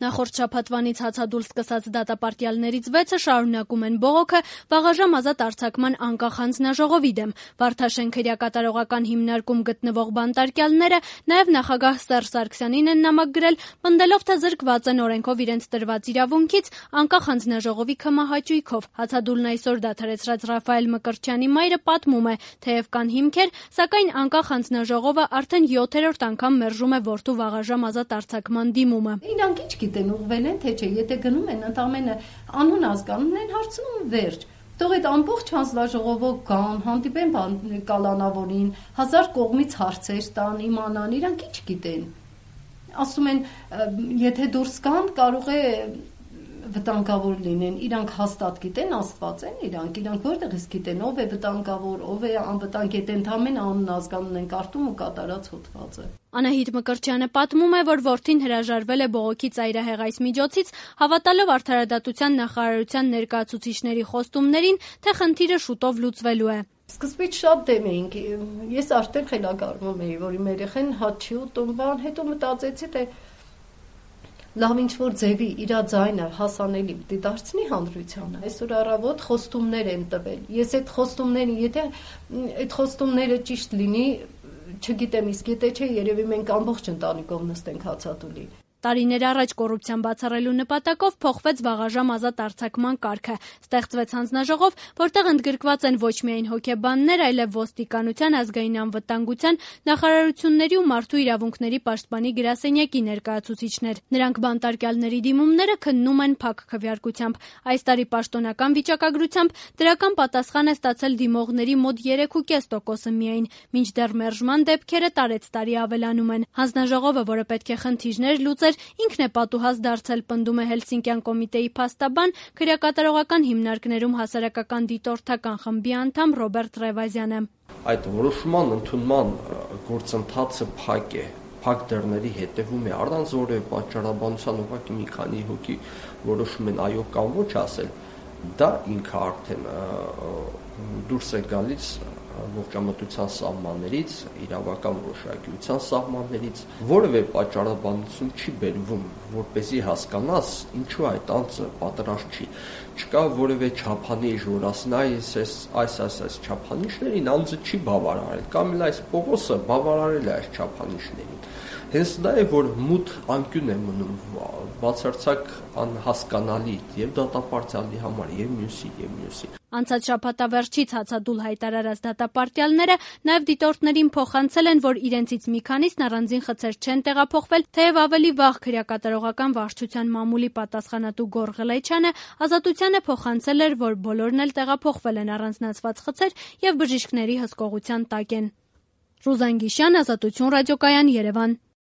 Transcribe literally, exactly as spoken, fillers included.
Նախորդ շաբաթվանից հացադուլ սկսած դատապարտյալներից վեցը շարունակում են բողոքը վաղաժամ ազատ արձակման անկախ հանձնաժողովի դեմ։ Վարդաշեն քրեակատարողական հիմնարկում գտնվող բանտարկյալները նաև նախագահ Սերժ Սարգսյանին են նամակ գրել, պնդելով, թե զրկված են օրենքով իրենց տրված իրավունքից անկախ հանձնաժողովի քմահաճույքով։ Հացադուլն այսօր դադարեցրած Ռաֆայել Մկրտչյանի մայրը պատմում է, թեև կան հիմքեր, սակայն անկախ հանձնաժողովը արդեն յոթերորդ անգամ մերժում է որդու վաղաժամ ազատ արձակման դիմումը։ Իրանք ինչ գիտեն, ուղղվել են, թե չէ, եթե գնում են, ընդամենը անուն ազգանուն են հարցնում, վերջ։ Թող այդ ամբողջ հանձնաժողովը կան, հանդիպեն կալանավորին, հազար կողմից հարցեր տան, իմանան, իրանք ինչ գիտեն։ Ասում են, եթե դուրս կան, կարող է վտանգավոր լինեն, իրանք հաստատ գիտեն, Աստված են իրանք, իրանք որտեղից գիտեն, ով է վտանգավոր, ով է անվտանգ, եթե ընդամենը անուն ազգանուն են կարդում ու կատարած հոդվածը։ Անահիտ Մկրտչյանը պատմում է, որ որդին հրաժարվել է բողոքի ծայրահեղ այս միջոցից, հավատալով Արդարադատության նախարարության ներկայացուցիչների խոստումներին, թե խնդիրը շուտով լուծվելու է։ Սկզբից շատ դեմ էինք, ես արդեն խելագարվում էի, որ իմ երեխան հաց չի ուտում, բան, հետո մտածեցի, թե լավ ինչ-որ ձևի իր ձայնը հասանելի պիտի դարձնի հանրությանը։ Այսօր առավոտ խոստումներ են տվել։ Ես այդ խոստումները, եթե այդ խոստումները ճիշտ լինի, չգիտեմ, իսկ եթե չէ, երևի մենք ամբողջ ընտանիքով նստենք հացադուլի։ Տարիներ առաջ կոռուպցիան բացառելու նպատակով փոխվեց վաղաժամ ազատ արձակման կարգը։ Ստեղծվեց հանձնաժողով, որտեղ ընդգրկված են ոչ միայն հոգեբաններ, այլև ոստիկանության, ազգային անվտանգության, նախարարությունների ու մարդու իրավունքների պաշտպանի գրասենյակի ներկայացուցիչներ։ Նրանք բանտարկյալների դիմումները քննում են փակ քվեարկությամբ։ Այս տարի պաշտոնական վիճակագրությամբ դրական պատասխան է ստացել դիմողների մոտ երեք ու կես տոկոսը միայն, մինչդեռ մերժման դեպքերը տարեցտարի ավելանում են։ Հանձնաժողովը, որը պետք է խնդիրներ լուծեր, ինքն է պատուհաս դարձել, պնդում է Հելսինկյան կոմիտեի փաստաբան, քրեակատարողական հիմնարկներում հասարակական դիտորդական խմբի անդամ Ռոբերտ Ռևազյանը։ Այդ որոշման ընդունման գործընթացը փակ է, փակ դռների հետևում է, առանց որևէ պատճառաբանության ուղղակի մի քանի հոգի որոշում են այո կամ ոչ ասել, դա ինքը արդեն դուրս է գալիս ողջամտության սահմաններից, իրավական որոշակիության սահմաններից, որևէ պատճառաբանություն չի բերվում, որպեսզի հասկանաս ինչու այդ անձը պատրաստ չի։ Չկա որևէ չափանիշ, որ ասեն այս այս այս այս չափանիշներին անձը չի բավարարել, կամ էլ այս Պողոսը բավարարել է այս չափանիշներին։ Հենց դա է, որ մութ անկյուն է մնում, բացարձակ անհասկանալի եւ դատապարտյալի համար, եւ մյուսի, եւ մյուսի։ Անցած շաբաթավերջից հացադուլ հայտարարած դատապարտյալները նաև դիտորդներին փոխանցել են, որ իրենցից մի քանիսն առանձին խցեր չեն տեղափոխվել, թեև ավելի վաղ քրեակատարողական վարչության մամուլի պատասխանատու Գոռ Ղլեյչյանը ազատությանը փոխանցել էր, որ բոլորն էլ տեղափոխվել են առանձնացված խցեր եւ բժիշկների հսկողության տակ են։ Ռուզան Գիշյան, Ազատություն ռադիոկայան, Երևան։